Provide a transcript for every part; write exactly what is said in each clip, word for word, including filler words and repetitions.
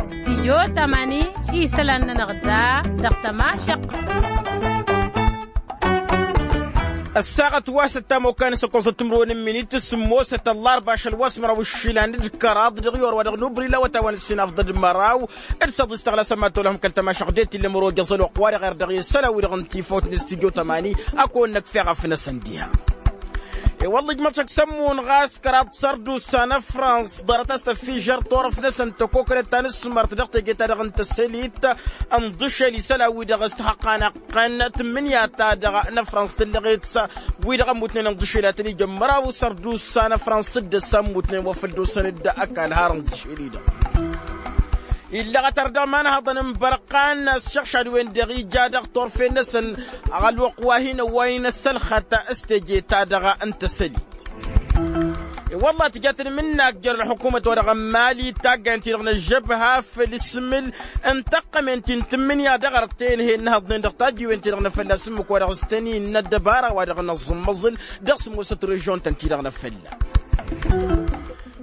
Stidyo tamani isălan-nănăɣ da dăɣ-tămašăqq. Ăssaɣăt wa s-ăttamokkan s-ăkkoẓăt timǝrwen n-iminit s-ămoosăt ăllarba ašăl wa s-măraw ǝššilan d-kăraḍ dăɣ-i orwa dăɣ-nubrila wătawăn ǝssinafḍăd măraw d-săḍis tăɣlasăm ad-tolăhăm kăl-tămašăɣ det ill'-emăr ojăẓ ălwăqq-wa-dăɣ erdăɣ i-isălan-wi-dăɣ n-tifawt n-stidyo tamani. Ad-kăwăn-năkf eɣăf-năsăn diha. I-wălla ijmăḍ-t šăkk s-ămmun ɣas kăraḍ sărdusa n-ăfrans ḍarăt a-s tăffižžăr turăft-năsăn tăkokălet ta n-asmărt dăɣ-teje-ta-dăɣ n-tăsălit n-iḍǝšel isălan-wi-dăɣ s-tihăqqanăɣ-tăn tǝmmǝnǝya-ta-dăɣ n-ăfrans tǝllăɣet. Wi-dăɣ ămmutnen n-iḍǝšel ad-tăn-ijăn măraw sărdus n-ăfrans d-ăssa ămmutnen wa făl dd-osăn-dd ăkall har n-iḍǝšel-i-dăɣ. Illăɣăt ar dăɣ-imanhaḍăn n-bărqan s-išăɣšad-wen-dăɣ ija dăɣ-turfen-năsăn ălwăqq wa hin-ăwwaynen ăssălxăt s-teje-ta-dăɣ n-tăsălit. I-wălla tǝja tǝnmǝnnak jer-ălxukumăt-wa-dăɣ n-mali taggayen-ti-dăɣ n-ăžžăbha făll-isǝmǝl n-tăqqămen ti n-tǝmmǝnǝya dăɣ-arăt tenhen n-ihăḍnen dăɣ-tajjiwen-ti-dăɣ n-efălla s-ǝmmǝk wa dăɣ-s tăn-innă ăddăbara wa dăɣ-năẓǝmmăẓǝl dăɣ-sǝmmosăt režion-tăn-ti-dăɣ n-efălla.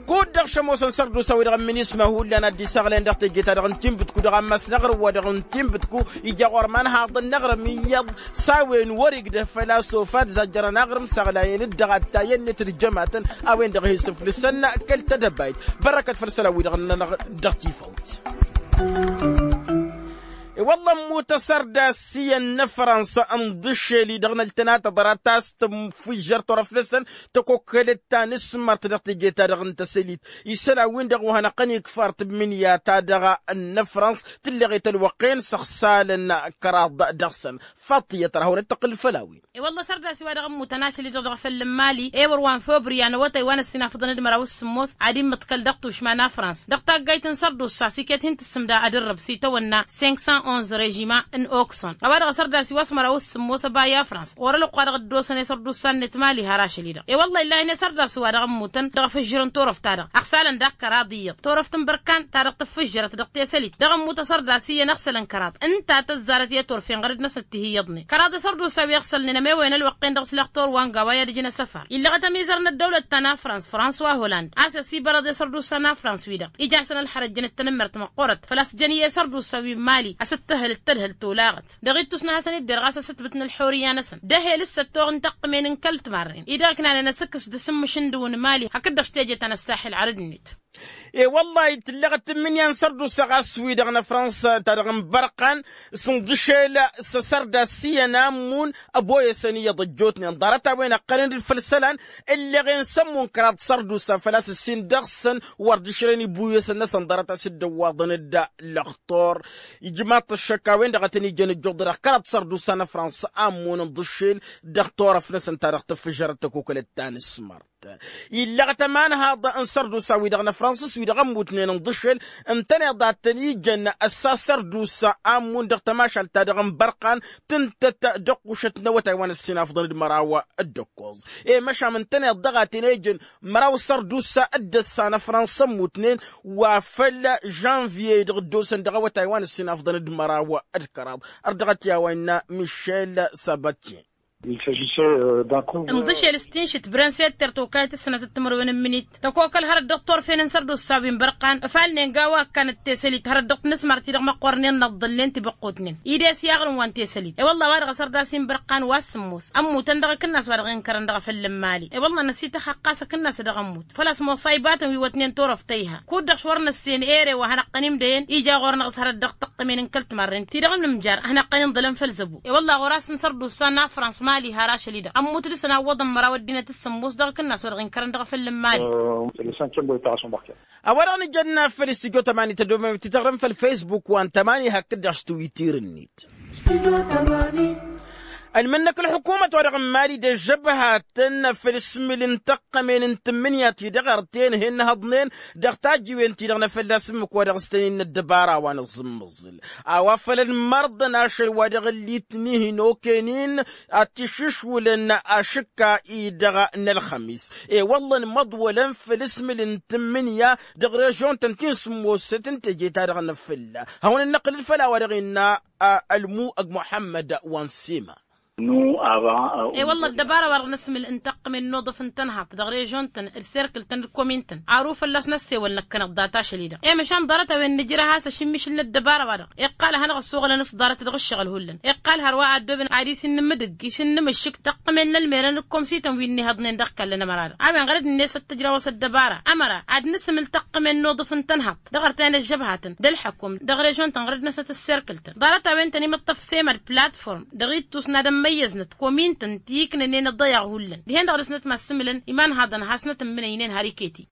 Kud-dăɣ šămoosăn sărdusa-wi-dăɣ n-minisma hullan ad-dd-isaɣlăyăn dăɣ-teje-ta-dăɣ n-tinbǝtku dăɣ-ammas n-aɣrǝm-wa-dăɣ n-tinbǝtku ija ɣur-imanhaḍăn n-aɣrǝm iyyăḍ s-a-wen wăr-igdăf făl-a-s ofad zajjărăn aɣrǝm saɣlayăn-dd dăɣ-attayăn-net d-jămatăn a-wen-dăɣ hi-sǝflǝsăn kăl-tedăbayt. Bărrăkăt făll-isălan-wi-dăɣ-nănăɣ dăɣ-tifawt. I-wălla ămmut asărdas iyyăn n-afrănsa n-iḍǝššel-i-dăɣ n-ăltănatăḍ ara ta s-tǝmfǝjjăr turăft-năsăn tăkokălăt ta n-asmărt dăɣ-teje-ta-dăɣ n-tăsălit isălan-win-dăɣ wa hanăɣ-tăn-ikfar tǝmmǝnǝya-ta-dăɣ n-afrăns tǝlleɣet ălwăqq-en săɣsalăn kăraḍ dăɣ-săn. Faḍt iyyăt ar hawăn-dd-tăqqǝl făll-a-wen. I-wălla sărdas-i-wa-dăɣ ămmutăn ašăl-i-dăɣ dăɣ-făll n-imali ewăr wa n-făbrǝy anăwătay wa n-ăssinafăḍăn d-măraw s-sǝmmos ad-immǝḍkăl dăɣ-tušma n-afrăns dăɣ-taggayt n-sărdusa s-iket hin-tǝssǝmda ad-ǝrrǝb s-itawănna cinq cent onze režima n-okson. A-wa-dăɣ asărdas i-wa s-măraw s-sǝmmos ăba i-afrăns ɣur-ălwăqq wa dăɣ-dd-osăn i-sărdusa-net mali har ašăl-i-dăɣ i-wălla illahi n-e-sărdas-wa-dăɣ ămmutăn dăɣ-ifǝžžǝrăn turăft-ta-dăɣ ăɣsalăn daɣ kăraḍ iyyăḍ turăft n-bărkan ta dăɣ-tǝffǝžžărăt dăɣ-tesălit dăɣ-ămmut asărdas iyyăn ăɣsălăn kăraḍ ǝnta a tăzzarăt i-turfen ɣăr-dd-năsăn tihǝyyăḍnen kăraḍ asărdusa wi ăɣsălnen ămewăyăn ălwăqq-en dăɣ-s lăxtur wa n-gawa i-ad-ǝjǝn asăfar illăɣăt ămizăr n-ăddăwlăt ta n-afrăns fransois holland a-s ăsibărăḍ i-sărdusa n-afrăns-wi-dăɣ ija a-s ănălxărăt jănăt tanămmert măqqoorăt făl-a-s jăn iyyăn isărdusa wi n-mali a-s ǝttǝhhǝl d-tadhǝlt tolaɣăt dăɣ-ittus n-ad-hasăn-dd irɣas asǝtbǝt n-ălxurǝyya-năsăn d-ehel s-săttoɣ n-tăqqǝmen n-kăl-timarren-i-dăɣ ǝknanen asǝkkǝs d-asǝmmǝš n-dăw n-mali hakd-dăɣ s-teje ta n-ăssaxil ɣărăd-net. E-wăllah tǝlleɣ-dd tǝmmǝnǝya n-sărdusa ɣas wi-dăɣ n-afrănsa-ta-dăɣ n-bărqan s-inḍǝšel s-asărdas iyyăn a ǝmmun ăboyăsăn iyyăḍ ăjjootnen ḍarăt-a-wen ăqqănen-dd făll-isălan ǝlleɣen s-ămmun kăraḍ sărdusa făl-a-s ǝssin dăɣ-săn wăr dd-išrăyăn ibuyăsăn-năsăn ḍarăt a-s dd-ăwwaḍăn-dd lăxtur. Ijmaḍ-t ăššăk a-wen-dăɣ a tăn-ijăn ăjjuḍăr dăɣ-kăraḍ sărdusa n-afrănsa a ǝmmun ǝnḍǝšel dăɣ-turăft-năsăn ta dăɣ-tǝffǝžărăt tăkokălăt ta n-asmărt. Illăɣăt ămanhaḍ n-sărdusa-wi-dăɣ n-afrănsa s-wi-dăɣ ămmutnen ǝnḍǝšel ǝntăneḍ a tăn-ijăn ăssa sărdusa a ǝmmun dăɣ-tămašalt-ta-dăɣ n-bărqan tǝntăt dăɣ-kušăt n-awătay wa n-ăssinafḍăn d-măraw d-ǝkkoẓ. I-măšan ǝntăneḍ dăɣ-a tăn-ijăn măraw sărdusa d-ăssa n-afrănsa ămmutnen wa făl žănviye-i-dăɣ dd-osăn dăɣ-awătay wa n-ăssinafḍăn d-măraw d-kăraḍ. Ărdăɣăt i-a-wa innă mišel sabatyen. Inḍǝšel s-tinšǝt bren s-etter tokayăt s-sănatăt timǝrwen n-imǝnit tăkokăl hărăt dăɣ-turfen n-sărdusa wi n-bărqan ăfalnen gawa ăkkanăt tesălit hărăt dăɣ-tinǝsmar-ti-dăɣ măqqornen năḍḍălnen tibăqqotnen. Ide-s i-aɣrǝm wa n-tesălit i-wălla a-wa dăɣ-asărdas-i n-bărqan wa s-sǝmmos ămmutăn dăɣ-akǝnnas wa dăɣ-inkărăn dăɣ-efăll n-imali i-wălla năsităxxăqqas akǝnnas a dăɣ-ămmut făl-a-s musa ibatăn wi wătnen turăft ta iha kud-dăɣ s-wăr năssen ere wa hanăqqăn-imdăyăn ija ɣur-năɣ s-hărăt dăɣ-tăqqămen n-kăl-timarren ti-dăɣ n-imjar a hanăqqăn-inḍălăn făll-zăbo. I-wălla ɣur-asăn sărdusa n-afrăns mali har ašăl-i-dăɣ ămmut dăɣ-săn a ǝwwăḍăn măraw ăddinăt s-sǝmmos dăɣ-akǝnnas wa dăɣ-inkărăn dăɣ-efăll n-imali. A-wa-dăɣ nǝjănna făll-istudyo tămani tădomem tităɣrăm făll-fesbuk wa n-tămani hakd-dăɣ s-twitir-net. Ănmǝnnăk ălxukumăt-wa-dăɣ n-mali d-ăžžăbhatăn făll-ismǝl n-tăqqămen n-tǝmmǝnǝya-ti-dăɣ ărten hen-nǝhăḍnen dăɣ-tajjiwen-ti-dăɣ n-efălla s-ǝmmǝk wa dăɣ-s tăn-innă ăddăbara wa n-aẓǝmmǝẓǝl a-wa făl ănmărḍăn ašăl wa dăɣ-ǝllitni hin-okăynen ad-t-išǝšwǝlăn ašǝkka-i-dăɣ n-ălxămis. I-wălla ănmăḍwălăn făll-ismǝl n-tǝmmǝnǝya dăɣ-režion-tăn ti n-sǝmmosăt n-teje-ta-dăɣ n-afǝlla. Hawăn-dd-năqqǝlăl făll-a-wa dăɣ-innă ălmuɣ muḥămmăd wa n-sima. I-wălla ăddăbara-wa-dăɣ n-asǝmǝl n-taqqǝmen n-oḍǝf n-tănhaḍt dăɣ-režon-tăn d-serkǝl-tăn d-komin-tăn, aru fălla-s n-ăssewăl năkkăneḍ data ašăl-i-dăɣ i-măšan ḍarăt-a-wen nǝjrăh a-s ašǝmmišǝl n-ăddăbara-wa-dăɣ iqqal ad-hanăɣ-ăssoɣălăn s-ḍarăt dăɣ-ǝššăɣǝl hullan. Iqqal hărwa a ăddooben ad-isǝnnǝmǝdǝg išǝnnǝmǝššǝk taqqǝmen n-ălmerăn d-komsităn wi ǝnnihăḍnen dăɣ-ikallăn ămăra-dăɣ a-wen ɣărăd-net ad-t-ǝjraw a-s ăddăbara ămăra ad-nǝsǝmǝl taqqǝmen n-oḍǝf n-tănhaḍt dăɣ-artăyăn ăžžăbhatăn d-ălḥăkum dăɣ-režon-tăn ɣărăd-năsnăt ăsserkǝl-tăn ḍarăt-a-wen tăn-imǝṭṭăf semad platform dăɣ-ittus n-ad-ămmăyyăznăt komin-tăn ti iknănen ăḍḍăyaɣ hullan dihen-dăɣ dăr-snăt ma ăssǝmǝlăn imanhaḍăn hasnăt ǝmmǝnăynen har iket-i.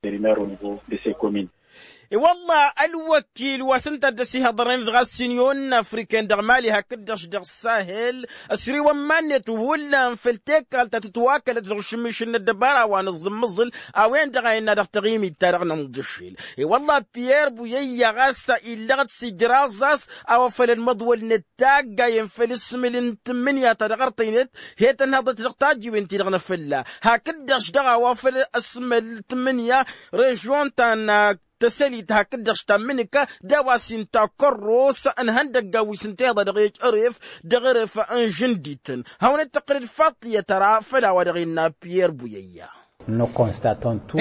I-wălla ălwăkkil wa s-ǝnta a dd-ăsihăḍărnen dăɣ-assin i-onnă afriken dăɣ-mali hakd-dăɣ-š dăɣ-sahel ăsriwăn iman-net hullan făll-tekkalt ta tǝtwakălăt dăɣ-ašǝmmišǝl n-ăddăbara wa n-aẓǝmmǝẓǝl a-wen-dăɣ a innă dăɣ-taɣimit-ta-dăɣ n-inḍǝššel. I-wălla piyerr buyăyya ɣas illăɣ-dd s-ijraẓ a-s a-wa făl ălmăḍwăl n-ăttaggayen făll-asǝmǝl n-tǝmmǝnǝya ta dăɣ-artăynet he-tănhăḍăt dăɣ-tajjiwen-ti-dăɣ n-afălla hakd-dăɣ-š dăɣ-a-wa făl asǝmǝl n-tǝmmǝnǝya režon ta n-tăsălit hakd-dăɣ-š ta n-imǝnǝka d-a-wa s-inta kărros n-ihăndăggan wi s-ǝnta iḍa dăɣ-ej ăref dăɣ-ăref n-žǝndităn. Hawăn-dd-tăqqǝlăd faḍt tiyyăt ara făll-a-wa dăɣ-innă piyerr buyăyya.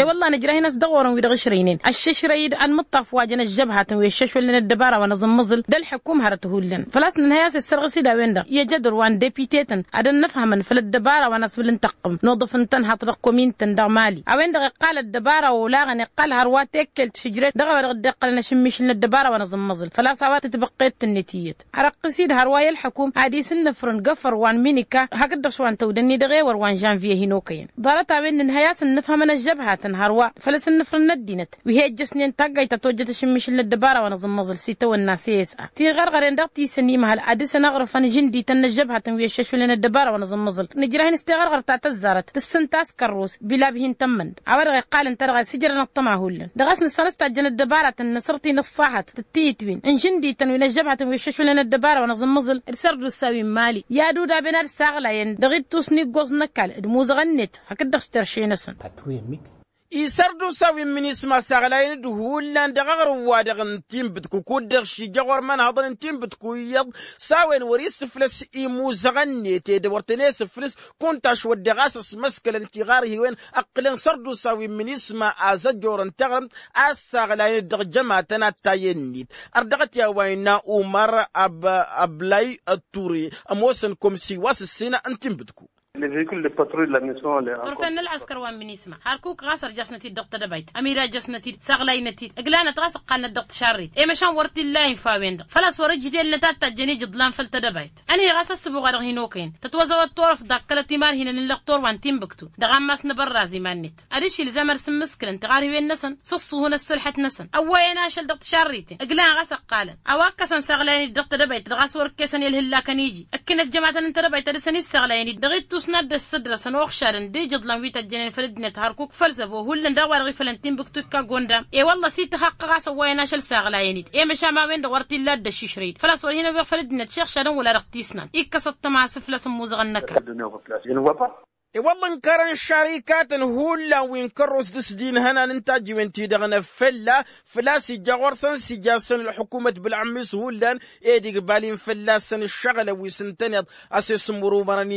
I-wălla nǝjrăh-in a-s dăɣ-orăn wi dăɣ-ǝšrăynen ăššǝšrăy-dd ănmǝṭṭaf wa jăn ăžžăbhatăn wi ăššăšwălnen ăddăbara wa n-aẓǝmmǝẓǝl d-ălḥăkum hărăt hullan făl-a-s nǝnhăy a-s issărɣǝs-dd a-wen-dăɣ i-ajădăr wa n-depite-tăn ad-ănnăfhămăn făll-ăddăbara wa n-asbǝl n-tăqqǝm n-oḍǝf n-tănhaḍt dăɣ-komin-tăn dăɣ-mali. A-wen-dăɣ iqqal ăddăbara olaɣăn iqqal hărwa tekkelt šǝjret dăɣ-a-wa dăɣ-dd-iqqălăn ašǝmmišǝl n-ăddăbara wa n-aẓǝmmǝẓǝl făl-a-s a-wa tǝtbăqqet-net iyyăt. Arăqqǝs-dd hărwa i-ălḥăkum ad-isǝnnǝfrǝn găfăr wa n-minika hakd-dăɣ s-wa n-tăwdănni dăɣ-ewăr wa n-žănvye hin-okăyăn. Ḍarăt-a-wen nǝnhăy a-s ǝnnǝfhămăn ăžžăbhatăn hărwa făll-asǝnnǝfrǝn n-ăddinăt wi he-ǝjjăsnen taggayt ta tojjăt ašǝmmišǝl n-ăddăbara wa n-aẓǝmmăẓǝl s-itawănna s-e s a tiɣărɣăren dăɣ-tisăn imhăl ad-dăr-săn aɣrǝfăn žǝndităn n-ăžžăbhatăn wi ăššăšwǝlnen ăddăbara wa n-aẓǝmmăẓǝl. Nǝjrăh-in s-tiɣărɣărt ta tăzzarăt tǝssǝnta a-s kărrus bilab hin-tămmănd a-wa-dăɣ iqqalăn ta dăɣ-a sǝjrănăɣ tăma hullan dăɣ-a-s nǝssan a-s tajjăn ăddăbaratăn n-asărti n-ăṣṣahăt tǝttǝyǝtwin n-žǝndităn wi n-ăžžăbhatăn wi ăššăšwǝlnen ăddăbara wa n-aẓǝmmăẓǝl d-sărdusa wi n-mali i-ad-udaben ad-saɣlayăn dăɣ-ittus n-iggoẓ n-ăkall d-imuzăɣăn-net hakd-dăɣ s-terše-năsăn. Isărdusa wi n-minisma saɣlayăn-dd hullan dăɣ-aɣrǝm-wa-dăɣ n-tinbǝtku kud-dăɣ šija ɣur-imanhăḍăn n-tinbǝtku iyyăḍ s-a-wen wăr-isǝflăs imuzăɣăn-net ed wăr tăn-e-sǝflǝs kunta ašwădde ɣas ăsmăskălăn tiɣarhiwen ǝqqǝlăn sărdusa wi n-minisma azăjorăn taɣrǝmt a ăssaɣlayăn-dd dăɣ-jămatăn ad-tayennit. Ărdăɣăt i-a-wa innă umăr ăblay ătture ămoosăn komsi wa s-ǝssin n-tinbǝtku. Ɣur-făn n-ălɣăskăr wa n-minisma hărkuk ɣas ărjasnăt-dd dăɣ-tedăbayt ămirajăsnăt-dd saɣlaynăt-dd ǝglanăt ɣas ǝqqalnăt dăɣ-tišarrit i-măšan wăr t-illa infa a-wen-dăɣ făl-a-s wăr-ǝjdellăt ad-tajjăn ijǝḍlan făll-tedăbayt. Ăniɣas ăssǝbuɣ-a-dăɣ hin-okăyăn tătwăzăwăt turăft dakkălăt imarhinăn n-lăqtor wa n-tinbǝktu dăɣ-ammas n-abărraz iman-net. Adiš ilzam ad-sǝmmǝskǝlăn tiɣarhiwen-năsăn s-ǝṣṣuhǝn ăssălḥăt-năsăn ăwwăyăn ašăl dăɣ-tišarriten ǝglan ɣas ăqqalăn a-wa ǝkkăsăn saɣlayăn-dd dăɣ-tedăbayt dăɣ-a-s wăr-ǝkkesăn i-ălhǝllakăn iji. Ǝkkǝnăt jămatăn n-tedăbayt ad-dăr-săn issaɣlayăn-dd dăɣ-ittus n-ad-dd-ăssăddăsăn uɣšadăn d-ijǝḍlan wi tăjjănen făll-ăddinăt hărkuk făll-zăbo hullan daɣ wa dăɣ-ifălăn tinbǝktu ikka gondam. E-wălla s-ităxăqqăɣ a-s ăwwăyăn ašăl saɣlayăn-dd i-măšan ma a-wen-dăɣ wăr t-illa a dd-ăššišrăy-dd făl-a-s wăr hin-ăwweɣ făll-ăddinăt šixšadăn wăla dăɣ-tisnan. Ikkăs ăṭṭăma a-s ǝflăs ămmuẓăɣăn n-ăkall. E-wălla ǝnkărăn šarikatăn hullan wi n-kărros d-s-dd-inhănan n-tajjiwen-ti-dăɣ n-afălla făl-a-s ija ɣur-săn s-ija-săn ălḥukumăt bǝlɣǝmmis hullan ed igbal-in fălla-săn ǝššăɣǝlăn wi s-ǝntăneḍ a-s e-sǝmmurumărăn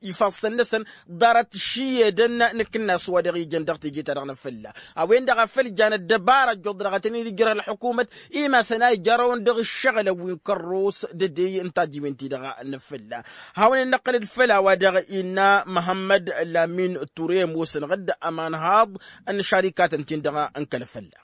ifassăn-năsăn. Ḍarăt šiyedăn n-akǝnnas wa dăɣ-ijăn dăɣ-teje-ta-dăɣ n-afălla a-wen-dăɣ a făl jan ăddăbara ăjjoḍ dăɣ-tăn-in-ǝjrăh ălḥukumăt. Imasăn a ijărăwăn dăɣ-ǝššăɣǝlăn wi n-kărros d-dd-ey n-tajjiwen-ti-dăɣ n-afălla. Hawăn-in năqqǝlăd făll-a-wa dăɣ-innă măhămmăd lamin ture ămoosăn ɣǝdd ămanhaḍ n-šarikatăn-tin-dăɣ n-kăl-fălla.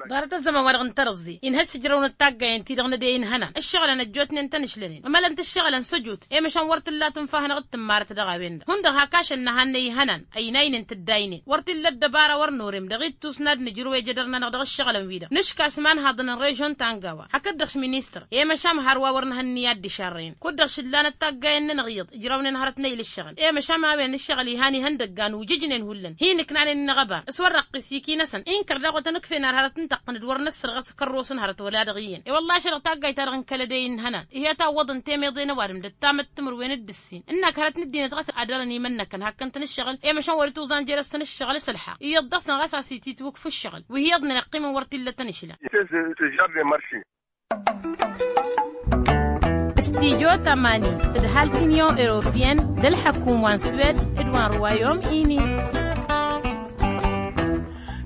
Ḍarăt ăzzăman wa dăɣ-n-tărǝẓẓe inhăš s-ǝjrăwnăt taggayen-ti-dăɣ n-ad-e-inhănan ǝššăɣǝlăn ăjjootnen tănǝšlănen ămălăn-t ǝššăɣǝlăn săjut i-măšan wăr t-ǝlla tǝnfa-hanăɣ d-tǝmmarăt dăɣ-a-wen-dăɣ hundăɣ hak ašăl nǝhannăy ihănan ăynaynen tǝddaynen wăr t-illa ăddăbara wăr norem dăɣ-ittus n-ad-nǝjrǝw ejădăr-nănăɣ dăɣ-ǝššăɣǝlăn-wi-dăɣ nǝška s-imanhaḍăn n-režon ta n-gawa hakd-dăɣ š-ministăr i-măšan hărwa wăr nǝhănnǝy ad-dd-išarrăyăn kud-dăɣ šǝllanăt taggayen-nănăɣ iyyăḍ ǝjrawnen hărăt n-eyl ǝššăɣǝl i-măšan ma a-wen ǝššăɣǝl ihan ihăndăggan ujǝjnen hullan hin-ǝknanen n-aɣăbar s-wăr răqqis iki-năsăn inkăr daɣ wa tăn-ǝkfen ar hărăt n-tăqqǝnǝd wăr năssărɣăs kărros n-hărăt wăla dăɣ-iyyăn i-wălla ašăl dăɣ-taggayt-ta-dăɣ n-kăl-ădăy n-ihănan. Ihi a tawwăḍăn temeḍe n-ăwadǝm d-ăttam d-timǝrwen d-ǝssin ǝnnak hărăt n-ăddinăt ɣas ad-dărăn imănnăkăn hakkăn-tăn ǝššăɣǝl i-măšan wăr-ituẓan jer-s tăn-ǝššăɣǝl s-ălḥăɣ iyyăḍ dăɣ-săn ɣas a-s ititwǝkf ǝššăɣǝl wi hi-iyyăḍnen iqqimăn wăr t-illa tăn-išla. Ăžžar de marši. Stijo tamani d-halk inyon europiyăn d-ălḥăkum wa n-swed d-wa n-ruwayom ini.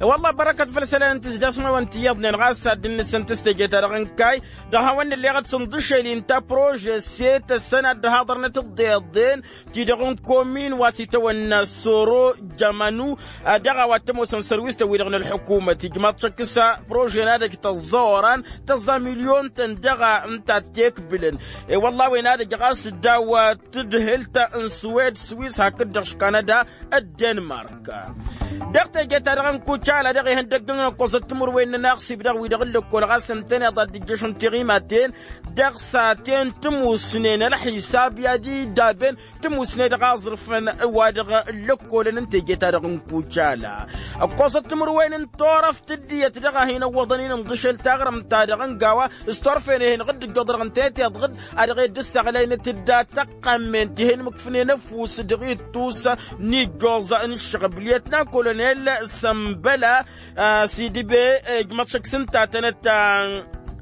Wălla bărăkăt făll-isălan n-tǝzdasmăwăn ti iyyăḍnen ɣas ad-dd-nǝssǝntǝs teje-ta-dăɣ n-kayy dăɣ-hawăn-nǝlleɣ d-sǝnḍǝšel inta prože s-e-tăssăn ad-dd-haḍărnăt d-iḍeḍen ti-dăɣ n-komin wa s-itawănna soro jămănu. Dăɣ-a-wa t-ămoosăn sărwistăn-wi-dăɣ n-ălḥukumăt ijmaḍ šăkk s-prože n-ad-ăj tăẓẓa oran tăẓẓa milyon-tăn dăɣ-a ǝnta a t-ekbǝlăn. I-wălla a-wen ad-ăj ɣas daw-tǝdhǝlt n-swed swis hakd-dăɣ š-kanada d-denmark. Dăɣ-teje-ta-dăɣ n-kucala dăɣ-ihăndăgg n-ăkkoẓăt timǝrwen n-inaɣsib dăɣ-wi-dăɣ n-lăkkol ɣas ǝntăneḍ ad-dd-ǝjjăšăn tiɣimaten dăɣ-saten timusnen ălxisab i-ad-iddaben timusne dăɣ-aẓrǝfăn wa dăɣ-lăkkolăn n-teje-ta-dăɣ n-kucala. Ǝkkoẓăt timǝrwen n-turăft d-iyyăt dăɣ-a hin-ăwwăḍăn-in ǝnḍǝšel taɣrǝmt-ta-dăɣ n-gawa s-turfen ehăn ɣǝdd-ǝjjoḍ dăɣ-n teteḍ ɣǝd a dăɣ-e dd-ǝssaɣlaynet d-ad-tăqqammen tihen mǝkfǝnen ăfuss dăɣ-ittus n-ijjoẓ n-ǝššăɣb lyătnan kolonel sămbăla. S-idǝbe ijmăḍ šăkk s-ǝnta ad-tănăt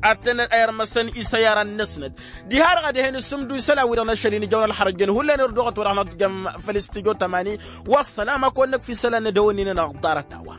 ad-tănăt a irmăsăn isăyaran-năsnăt diha-dăɣ ad-ehen ǝssǝmdu isălan-wi-dăɣ n-ašăl-in ijăwăn ălxărăjăn hullan irduɣăt wa dăɣ-năt jăm făll-istijo tămani. Wa ăssălam a kăwăn-năkf isălan n-ad-ăwănnin-anăɣ ḍarăt-a-wa.